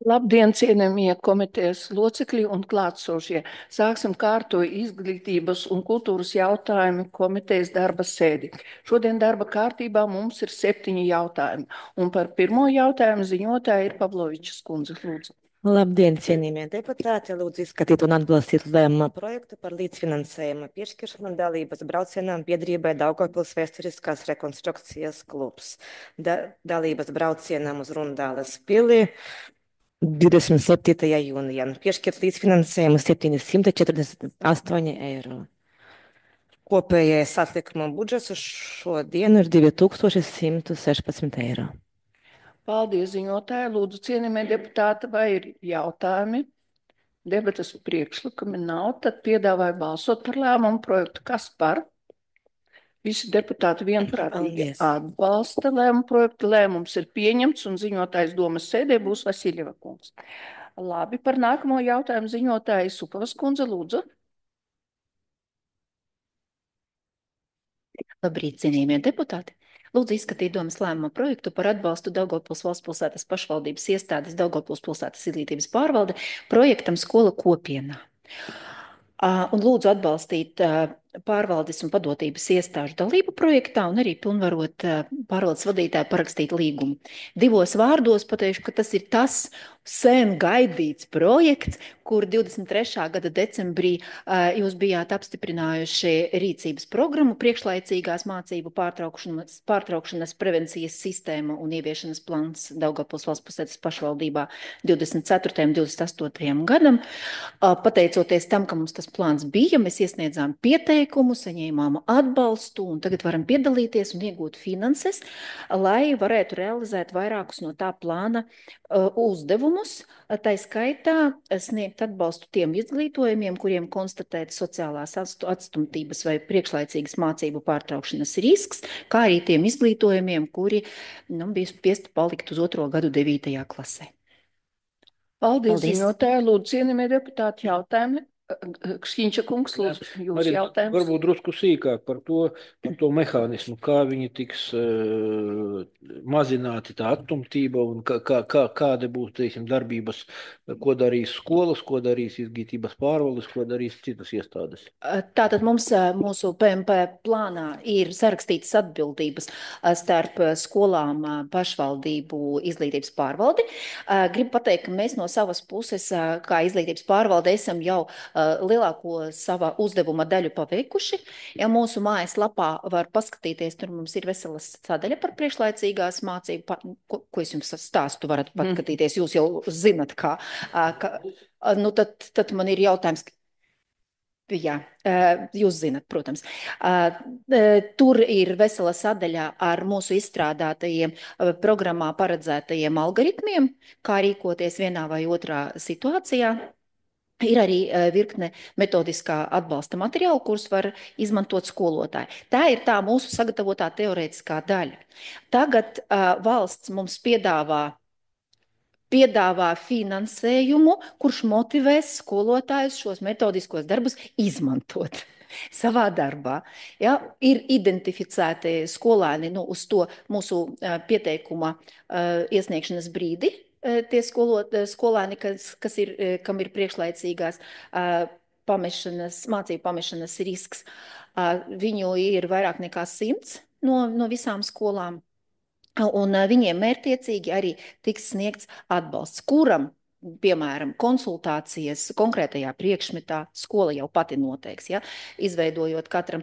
Labdien, cienījamie komitejas locekļi un klātsošie. Sāksim kārtoju izglītības un kultūras jautājumu komitejas darba sēdi. Šodien darba kārtībā mums ir 7 jautājumi. Un par pirmo jautājumu ziņotāja ir Pavlovičs kundze. Lūdzu. Labdien, cienījamie deputāti! Lūdzu izskatīt un atbalstīt lēmuma projektu par līdzfinansējuma piešķiršanu dalības braucienām biedrībai Daugavpils vēsturiskās rekonstrukcijas klubs. Dalības braucienām uz Rundāles pili 27. jūnijā. Piešķirt līdzfinansējumu 748 eiro. Kopējais atlikuma budžets uz šo dienu ir 2116 eiro. Paldies, ziņotāji. Lūdzu, cienījamie deputāti, vai ir jautājumi? Debatas priekšlikumi nav, tad piedāvāju balsot par lēmumu projektu. Kas par? Visi deputāti vienprātīgi atbalsta lēmumu projektu. Lēmums ir pieņemts un ziņotājs domas sēdē būs Vasiljeva kungs. Labi, par nākamo jautājumu ziņotāja Supavas kundze, lūdzu. Labrīt, cienījamie deputāti! Lūdzu izskatīt domas lēmuma projektu par atbalstu Daugavpils valsts pilsētas pašvaldības iestādes Daugavpils pilsētas izglītības pārvalde projektam Skola kopienā. Un lūdzu atbalstīt pārvaldes un padotības iestāžu dalību projektā un arī pilnvarot pārvaldes vadītāju parakstīt līgumu. Divos vārdos pateikšu, ka tas ir tas sen gaidīts projekts, kur 23. gada decembrī jūs bijāt apstiprinājuši rīcības programmu priekšlaicīgās mācību pārtraukšanas prevencijas sistēma un ieviešanas plāns Daugavpils valsts pilsētas pašvaldībā 24. un 28. gadam. Pateicoties tam, ka mums tas plāns bija, mēs iesniedzām pieteikumu, saņēmām atbalstu un tagad varam piedalīties un iegūt finanses, lai varētu realizēt vairākus no tā plāna uzdevumus, tā skaitā sniegt atbalstu tiem izglītojumiem, kuriem konstatēta sociālās atstumtības vai priekšlaicīgas mācību pārtraukšanas risks, kā arī tiem izglītojumiem, kuri bija spiesti palikt uz 2. gadu 9. klasē. Paldies, ziņotāji. Lūdzu, cienījamie deputāti, jautājumi. Kšķiņša kungs, lūdzu, jūsu jautājums. Varbūt drusku sīkāk par to mehānismu, kā viņi tiks mazināti tā attumtība un kāda būs, teiksim, darbības, ko darīs skolas, ko darīs izglītības pārvaldes, ko darīs citas iestādes. Tātad mums mūsu PMP plānā ir sarakstītas atbildības starp skolām, pašvaldību, izglītības pārvaldi. Gribu pateikt, ka mēs no savas puses, kā izglītības pārvalde, esam jau lielāko sava uzdevuma daļu paveikuši. Ja mūsu mājaslapā var paskatīties, tur mums ir veselas sadaļa par priekšlaicīgās mācību, ko es jums stāstu, varat paskatīties, jūs jau zinat, nu tad man ir jautājums. Jā, jūs zinat, protams. Tur ir vesela sadaļa ar mūsu izstrādātajiem programmā paredzētajiem algoritmiem, kā rīkoties vienā vai otrā situācijā. Ir arī virkne metodiskā atbalsta materiālu, kurus var izmantot skolotāji. Tā ir tā mūsu sagatavotā teorētiskā daļa. Tagad valsts mums piedāvā finansējumu, kurš motivēs skolotājus šos metodiskos darbus izmantot savā darbā. Ja, ir identificēti skolēni uz to mūsu pieteikuma iesniegšanas brīdi. Tie skolēni, kam ir priekšlaicīgās mācību pamešanas risks, viņu ir vairāk nekā 100 no visām skolām, un viņiem mērķtiecīgi arī tiks sniegts atbalsts, kuram, piemēram, konsultācijas konkrētajā priekšmetā skola jau pati noteiks, ja, izveidojot katram.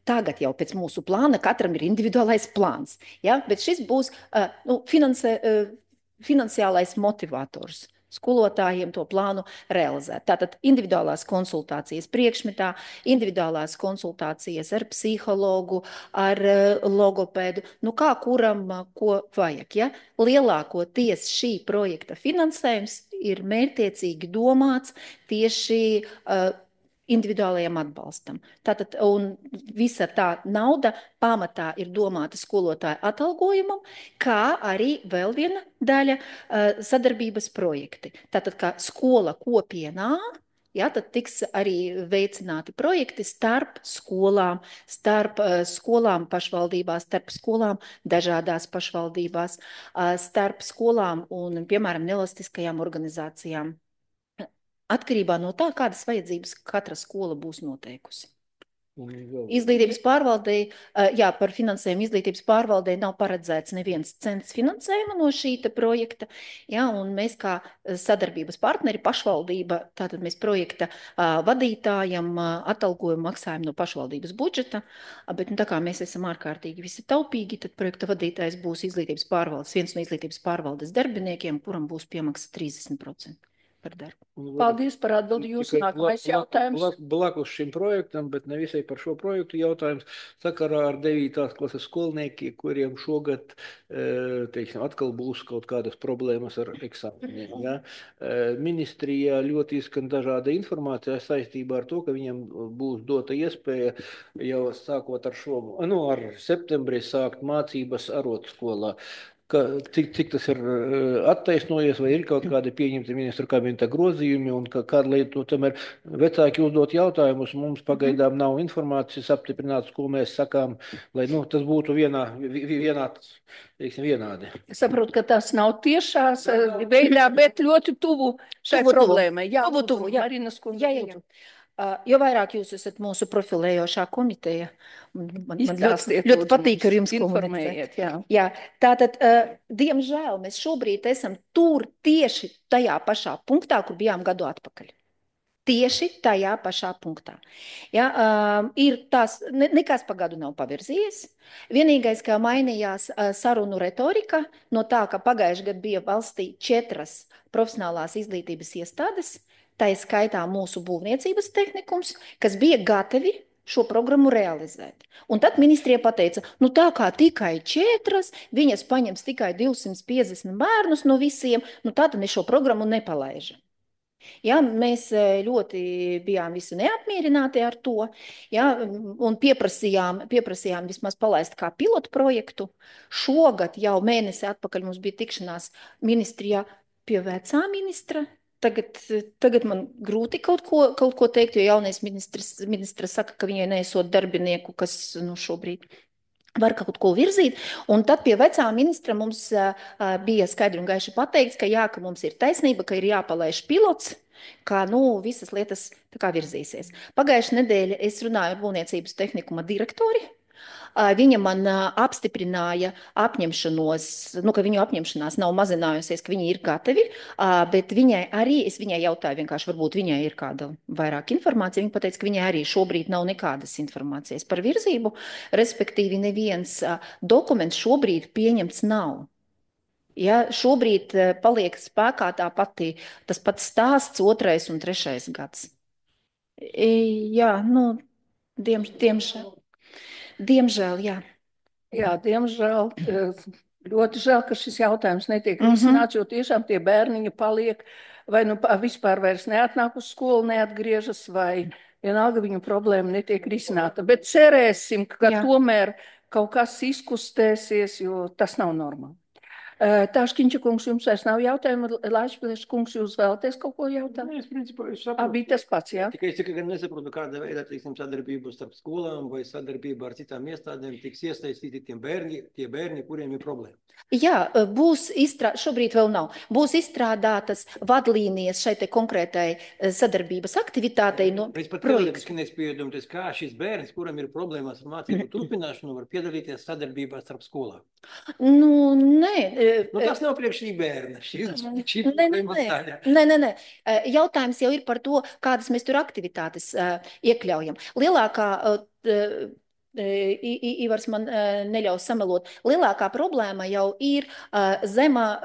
Tagad jau pēc mūsu plāna katram ir individuālais plāns, ja, bet šis būs finansiālais motivators skolotājiem to plānu realizēt. Tātad individuālās konsultācijas priekšmetā, individuālās konsultācijas ar psihologu, ar logopēdu, kā kuram ko vajag. Ja? Lielākoties šī projekta finansējums ir mērķtiecīgi domāts tieši individuālajam atbalstam. Tātad, un visa tā nauda pamatā ir domāta skolotāju atalgojumam, kā arī vēl viena daļa sadarbības projekti. Tātad, kā skola kopienā ja, tad tiks arī veicināti projekti starp skolām pašvaldībās, starp skolām dažādās pašvaldībās, starp skolām un, piemēram, nevalstiskajām organizācijām. Atkarībā no tā, kādas vajadzības katra skola būs noteikusi. Izglītības pārvaldei, jā, par finansējumu izglītības pārvaldei nav paredzēts neviens cents finansējuma no šīta projekta, jā, un mēs kā sadarbības partneri, pašvaldība, tātad mēs projekta vadītājam atalgojumu maksājam no pašvaldības budžeta, bet tā kā mēs esam ārkārtīgi visi taupīgi, tad projekta vadītājs būs izglītības pārvaldes, viens no izglītības pārvaldes darbiniekiem, kuram būs piemaksa 30% par darbu. Paldies par atbildi. Jūsu nākamais jautājums. Blakus šim projektam, bet ne visai par šo projektu jautājums, sakarā ar 9. klases skolniekiem, kuriem šogad, teiksim, atkal būs kaut kādas problēmas ar eksāmeniem. Ja? Ministrijā ļoti izskan dažāda informācija saistībā ar to, ka viņiem būs dota iespēja jau sākot ar ar septembrī sākt mācības arotskolā. Cik tas ir attaisnojies, vai ir kaut kādi pieņemti ministra kabineta grozījumi, un kāda lieta, tomēr vecāki uzdot jautājumus, mums pagaidām nav informācijas apstiprināts, ko mēs sakām, lai tas būtu vienādi. Es saprotu, ka tas nav tiešās veidā, bet ļoti tuvu šai problēmai. Jā, tuvu, jā. Marinas kundze. Jā. Jo vairāk jūs esat mūsu profilējošā komiteja, man ļoti patīk ar jums informējiet. Jā, tātad, diemžēl, mēs šobrīd esam tur tieši tajā pašā punktā, kur bijām gadu atpakaļ. Tieši tajā pašā punktā. Ja, ir tās, nekas pa gadu nav pavirzījies. Vienīgais, kā mainījās sarunu retorika, no tā, ka pagājuši gadu bija valstī 4 profesionālās izglītības iestādes, tā ir skaitā mūsu būvniecības tehnikums, kas bija gatavi šo programmu realizēt. Un tad ministrija pateica, tā kā tikai 4, viņas paņems tikai 250 bērnus no visiem, tad mēs šo programmu nepalaižam. Ja, mēs ļoti bijām visi neapmierināti ar to, ja, un pieprasījām vismaz palaist kā pilotu projektu. Šogad jau mēnesi atpakaļ mums bija tikšanās ministrijā pie vecā ministra. Tagad man grūti kaut ko teikt, jo jaunais ministrs saka, ka viņai neesot darbinieku, kas šobrīd var kaut ko virzīt. Un tad pie vecā ministra mums bija skaidri un gaiši pateikts, ka mums ir taisnība, ka ir jāpalaiž pilots, kā visas lietas tā kā virzīsies. Pagājušajā nedēļā es runāju ar būvniecības tehnikuma direktori. Viņa man apstiprināja apņemšanos, ka viņu apņemšanās nav mazinājusies, ka viņi ir gatavi, bet es viņai jautāju vienkārši, varbūt viņai ir kāda vairāk informācija. Viņa pateica, ka viņai arī šobrīd nav nekādas informācijas par virzību, respektīvi neviens dokuments šobrīd pieņemts nav. Ja, šobrīd paliek spēkā tas pats stāsts 2. un 3. gads. Jā, Diemžēl, jā. Jā, diemžēl. Ļoti žēl, ka šis jautājums netiek risināts, jo tiešām tie bērniņi paliek vai vispār vairs neatnāk uz skolu, neatgriežas, vai vienalga viņu problēma netiek risināta. Bet cerēsim, ka tomēr kaut kas izkustēsies, jo tas nav normāli. Tāškiņša kungs, jums vairs nav jautājumu, Laišpilieša kungs, jūs vēlaties kaut ko jautāt? Es principā saprotu. Bija tas pats, jā? Tikai es tikai nesaprotu, kāda veida, sadarbība starp skolām vai sadarbība ar citām iestādēm tiks iesaistīti tie bērni, kuriem ir problēma. Jā, šobrīd vēl nav. Būs izstrādātas vadlīnijas šai te konkrētai sadarbības aktivitātei no projekta. Es pat teorētiski nespēju domāt, kā šis bērns, kuram ir problēmas ar mācību turpināšanu, var piedalīties sadarbībā starp skolām. Nē. Tas nav priekš šī bērna. Nē. Jautājums jau ir par to, kādas mēs tur aktivitātes iekļaujam. Lielākā, Ivars man neļaus samelot, lielākā problēma jau ir zema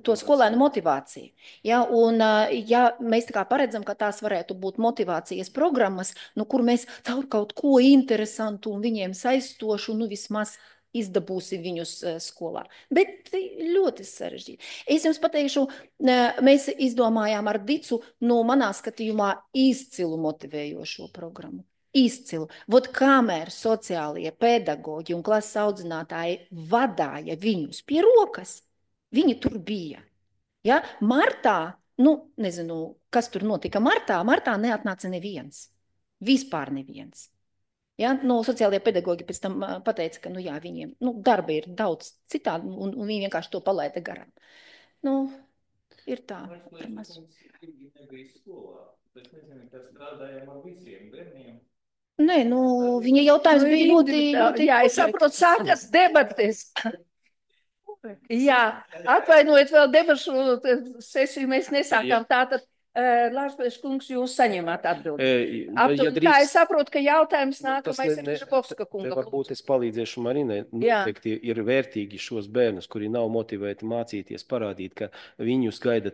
to skolēnu motivācija. Ja, un ja mēs tā kā paredzam, ka tās varētu būt motivācijas programmas, kur mēs caur kaut ko interesantu un viņiem saistošu, vismaz izdabūsi viņus skolā. Bet ļoti sarežģīti. Es jums pateikšu, mēs izdomājām ar Dicu manā skatījumā izcilu motivējošo programmu. Izcilu. Kamēr sociālie pedagoģi un klases audzinātāji vadāja viņus pie rokas, viņi tur bija. Ja? Martā Nu, nezinu, kas tur notika martā. Martā neatnāca neviens. Vispār neviens. Ja, no sociālajie pedagoģi pēc tam pateica, ka, nu jā, viņiem, darba ir daudz citādi, un viņi vienkārši to palaida garām. Nu, ir tā. Nē, viņa jautājums bija ļoti... Jā, es saprotu, sākas debates. Jā, atvainojiet, vēl debašu sesiju mēs nesākām. Tātad, Lārsbergs kungs, jūs saņemat atbildi. Tā es saprotu, ka jautājums nākamais ir Žakovska kunga. Varbūt es palīdzēšu Marinai. Noteikti ir vērtīgi šos bērnus, kuri nav motivēti mācīties, parādīt, ka viņus gaida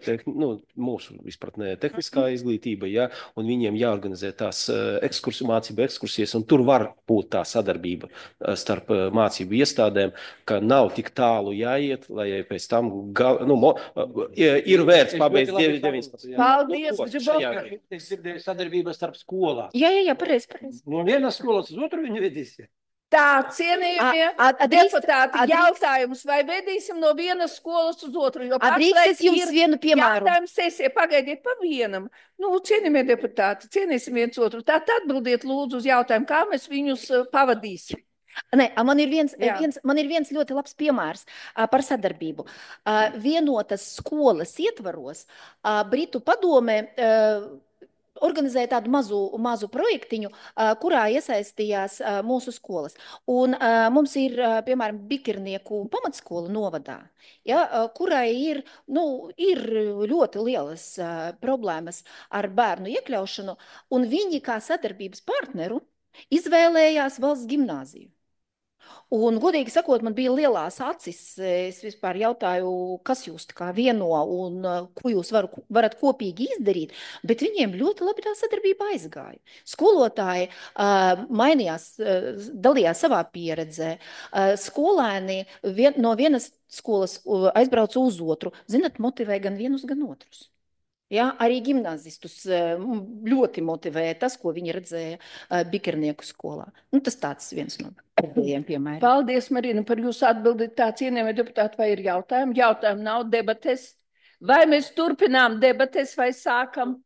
mūsu izpratnē tehniskā izglītība, ja, un viņiem jāorganizē tās mācību ekskursijas, un tur var būt tā sadarbība starp mācību iestādēm, ka nav tik tālu jāiet, lai pēc tam ir vērts pabeigt 19. Paldies, Es dzirdēju sadarbību starp skolām. Jā, pareizi. No vienas skolas uz otru viņu vedīs. Tā, cienījamie deputāti, jautājums, vai vedīsim no vienas skolas uz otru? Drīkst es jums vienu piemēru? Jautājums sesija, pagaidiet pa vienam. Cienījamie deputāti, cienīsim viens otru. Tātad atbildiet lūdzu uz jautājumu, kā mēs viņus pavadīsim. Nē, man ir viens ļoti labs piemērs par sadarbību. Vienotas skolas ietvaros Britu padome organizēja tādu mazu projektiņu, kurā iesaistījās mūsu skolas. Un mums ir, piemēram, Bikirnieku pamatskola novadā, ja, kurai ir ļoti lielas problēmas ar bērnu iekļaušanu, un viņi kā sadarbības partneru izvēlējās valsts gimnāziju. Un, godīgi sakot, man bija lielās acis. Es vispār jautāju, kas jūs tā kā vieno un ko jūs varat kopīgi izdarīt, bet viņiem ļoti labi tā sadarbība aizgāja. Skolotāji mainījās, dalījās savā pieredzē. Skolēni no vienas skolas aizbrauca uz otru. Zinat, motivē gan vienus, gan otrus. Ja, arī gimnazistus ļoti motivēja tas, ko viņi redzēja Bikernieku skolā. Tas tāds viens no pēdējiem piemēriem. Paldies, Marina, par jūsu atbildi. Tā, cienījamie deputāti, vai ir jautājumi? Jautājumi nav, debates. Vai mēs turpinām debates vai sākam?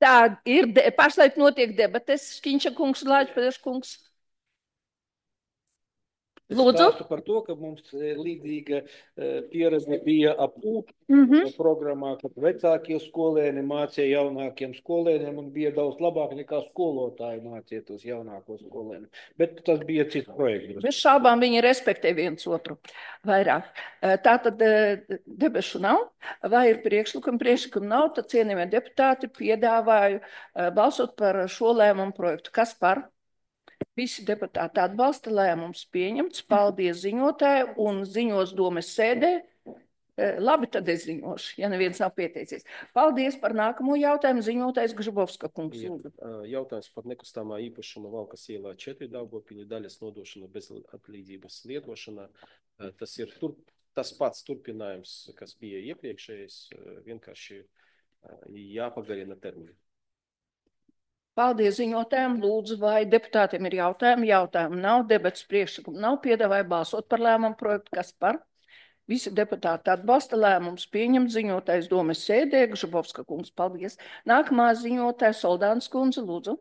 Tā ir, pašlaik notiek debates. Škiņša kungs, Lāčpēdeš kungs. Lūdzu. Es stāstu par to, ka mums līdzīga pieredze bija ap programmā, kad vecākie skolēni mācīja jaunākiem skolēniem un bija daudz labāk nekā skolotāji mācīja tos jaunākos skolēniem. Bet tas bija cits projekts. Bez šābām viņi respektē viens otru vairāk. Tātad debešu nav, vai ir priekšlikumi? Priekšlikumi nav, tad cienījamie deputāti piedāvāju balsot par šo lēmumu projektu. Kas par? Visi deputāti atbalsta, lēmums pieņemts. Paldies ziņotāju un ziņos domes sēdē. Labi, tad es ziņošu, ja neviens nav pieteicies. Paldies par nākamo jautājumu. Ziņotājs Gžibovska kungs. Jautājums par nekustamā īpašuma Valkas ielā 4 Daugavpilī daļas nodošana bez atlīdzības lietošanā. Tas ir tas pats turpinājums, kas bija iepriekšējais, vienkārši jāpagarina termiņu. Paldies ziņotājiem. Lūdzu, vai deputātiem ir jautājumi? Jautājumu nav, debats priekšlikumu nav. Piedāvāju balsot par lēmumu projektu. Kas par? Visi deputāti atbalsta, lēmums pieņemt. Ziņotājs domes sēdē. Gžibovska kungs, paldies. Nākamā ziņotāja Soldāns kundze, lūdzu.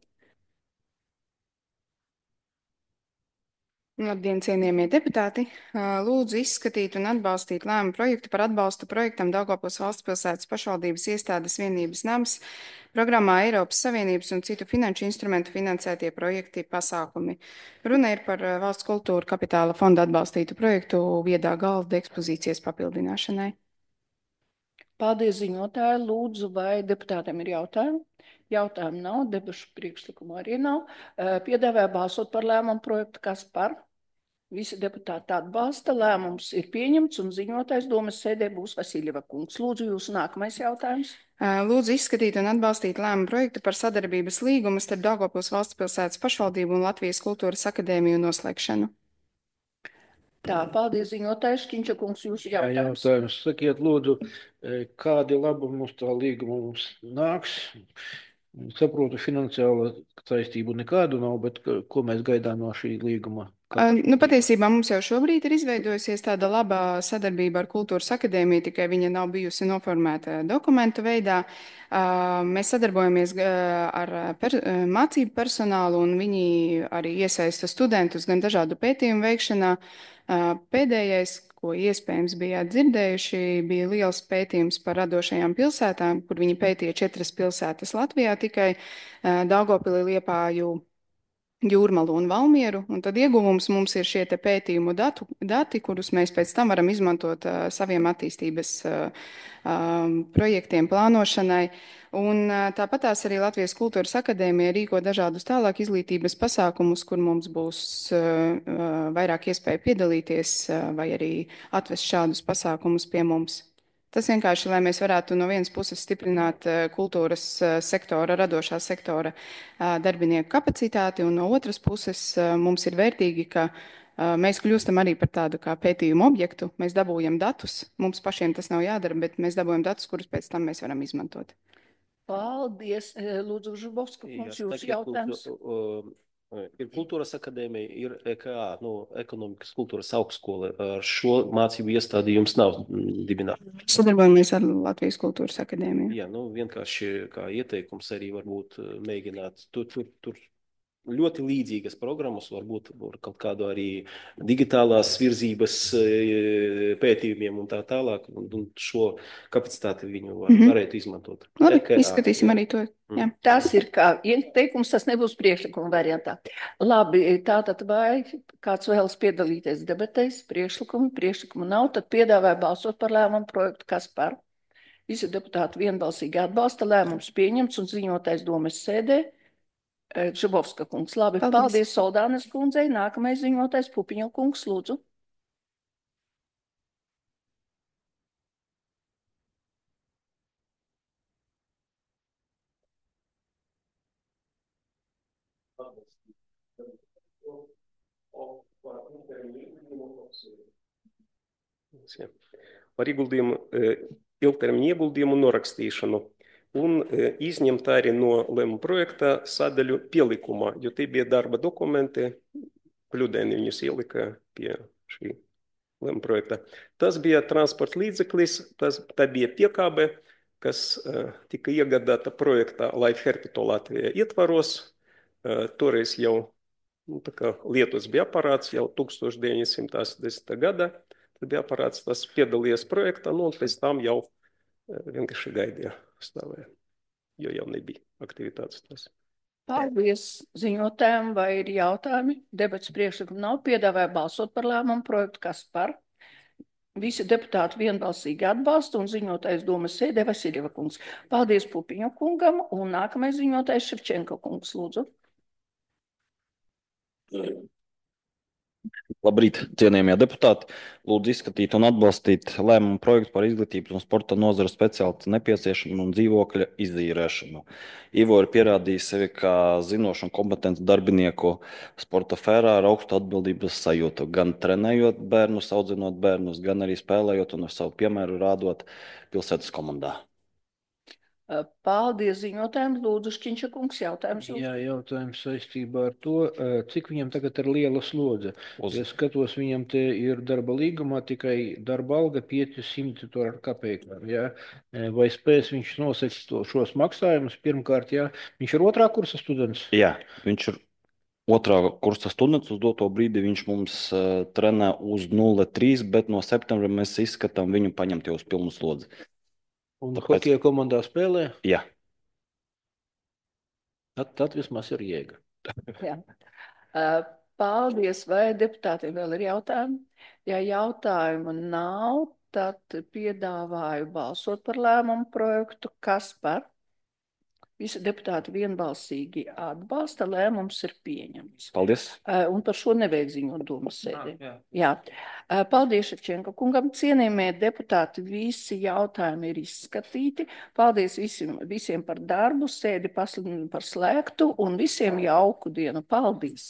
Labdien, cienījamie deputāti! Lūdzu izskatīt un atbalstīt lēmumu projektu par atbalstu projektam Daugavpils valstspilsētas pašvaldības iestādes vienības nams programmā Eiropas Savienības un citu finanšu instrumentu finansētie projekti pasākumi. Runa ir par valsts kultūra kapitāla fonda atbalstītu projektu viedā galda ekspozīcijas papildināšanai. Paldies ziņotāji. Lūdzu, vai deputātiem ir jautājumi? Jautājumu nav, debašu priekšlikumu arī nav. Piedāvāju balsot par lēmumu projektu. Kas par? Visi deputāti atbalsta, lēmums ir pieņemts un ziņotājs domes sēdē būs Vasiljeva kungs. Lūdzu, jūsu nākamais jautājums. Lūdzu izskatīt un atbalstīt lēmumu projektu par sadarbības līgumu starp Daugavpils valstspilsētas pašvaldību un Latvijas kultūras akadēmiju noslēgšanu. Tā, paldies ziņotājs. Škiņša kungs, jūsu jautājums. Jautājums. Sakiet, lūdzu, kādi labumi mums tā līguma mums nāks? Saprotu, finansiāla saistību nekādu nav, bet ko mēs gaidām no šī līguma? Patiesībā mums jau šobrīd ir izveidojusies tāda laba sadarbība ar Kultūras akadēmiju, tikai viņa nav bijusi noformēta dokumentu veidā. Mēs sadarbojamies ar mācību personālu, un viņi arī iesaista studentus gan dažādu pētījumu veikšanā. Pēdējais, ko iespējams bijāt dzirdējuši, bija liels pētījums par radošajām pilsētām, kur viņi pētīja 4 pilsētas Latvijā, tikai Daugavpili, Liepāju, Jūrmalu un Valmieru, un tad ieguvums mums ir šie te pētījumu dati, kurus mēs pēc tam varam izmantot saviem attīstības projektiem plānošanai. Un tāpatās arī Latvijas Kultūras akadēmija rīko dažādus tālāk izglītības pasākumus, kur mums būs vairāk iespēja piedalīties vai arī atvest šādus pasākumus pie mums. Tas vienkārši, lai mēs varētu no vienas puses stiprināt kultūras sektora, radošā sektora darbinieku kapacitāti, un no otras puses mums ir vērtīgi, ka mēs kļūstam arī par tādu kā pētījumu objektu. Mēs dabūjam datus, mums pašiem tas nav jādara, bet mēs dabūjam datus, kurus pēc tam mēs varam izmantot. Paldies, Lūdzu, Žubovska, kungs, jūsu jautājums. Ir Kultūras akadēmija, ir EKA, Ekonomikas kultūras augstskola. Ar šo mācību iestādi jums nav dibināta. Sadarbojamies ar Latvijas Kultūras akadēmiju. Jā, vienkārši kā ieteikums arī varbūt mēģināt tur ļoti līdzīgas programmas, varbūt kaut kādu arī digitālās virzības pētījumiem un tā tālāk, un šo kapacitāti viņu varētu izmantot. Labi, izskatīsim arī to. Jā. Tas ir kā ieteikums, tas nebūs priekšlikuma variantā. Labi, tātad vai kāds vēlas piedalīties debatēs, priekšlikumu nav, tad piedāvāja balsot par lēmumu projektu, kas par. Visi deputāti vienbalsīgi atbalsta, lēmums pieņemts un ziņotais domes sēdē. Žubovska kungs, labi, paldies Soldānes kundzei. Nākamais ziņotais Pupiņo kungs, lūdzu. Par ilgtermiņa ieguldījumu norakstīšanu. Un izņemt arī no lēmuma projekta sadaļu pielikumā, jo tie bija darba dokumenti, kļūdaini viņus ielika pie šī lēmuma projekta. Tas bija transporta līdzeklis, tā bija piekābe, kas tika iegādāta projektā Life Herpito Latvijā ietvaros. Toreiz jau lietots bija aparāts jau 1980. gada. Tad bija aparāts, tas piedalījies projektā, un pēc tam jau vienkārši gaidīja. Stāvēja, jo jau nebija aktivitātes tās. Paldies ziņotājiem, vai ir jautājumi? Debats priekšlikumu nav, piedāvāja balsot par lēmumu projektu, kas par. Visi deputāti vienbalsīgi atbalsta un ziņotājs domas sēdē Vasiljeva kungs. Paldies Pupiņo kungam un nākamais ziņotājs Ševčenko kungs, lūdzu. Labrīt, cienījamie deputāti. Lūdzu izskatīt un atbalstīt lēmumu projektu par izglītības un sporta nozara speciālistu nepieciešamu un dzīvokļa izīrēšanu. Ivo ir pierādījis sevi kā zinošu un kompetentu darbinieku sporta sfērā ar augstu atbildības sajūtu, gan trenējot bērnus, audzinot bērnus, gan arī spēlējot un ar savu piemēru rādot pilsētas komandā. Paldies ziņotājiem. Lūdzu, Šķiņša kungs, jautājums. Jā, jautājums saistībā ar to, cik viņam tagad ir liela slodze. Es skatos, viņam te ir darba līgumā tikai darba alga 500 ar kapekām. Ja? Vai spēs viņš nosekt šos maksājumus? Pirmkārt, jā, viņš ir otrā kursa students? Jā, viņš ir otrā kursa students. Uz doto brīdi viņš mums trenē uz 0,3, bet no septembra mēs izskatām viņu paņemt jau uz pilnu slodzi. Un hokeja komandā spēlē? Jā. Tad vismaz ir jēga. Jā. Paldies. Vai deputātiem vēl ir jautājumi? Ja jautājumu nav, tad piedāvāju balsot par lēmumu projektu. Kas par? Visi deputāti vienbalsīgi atbalsta, lēmums ir pieņemts. Paldies. Un par šo nevajag ziņot domas sēdē. Jā. Paldies Ševčenko kungam. Cienījamie deputāti, visi jautājumi ir izskatīti. Paldies visiem par darbu, sēdi pasludinu par slēgtu un visiem jauku dienu. Paldies!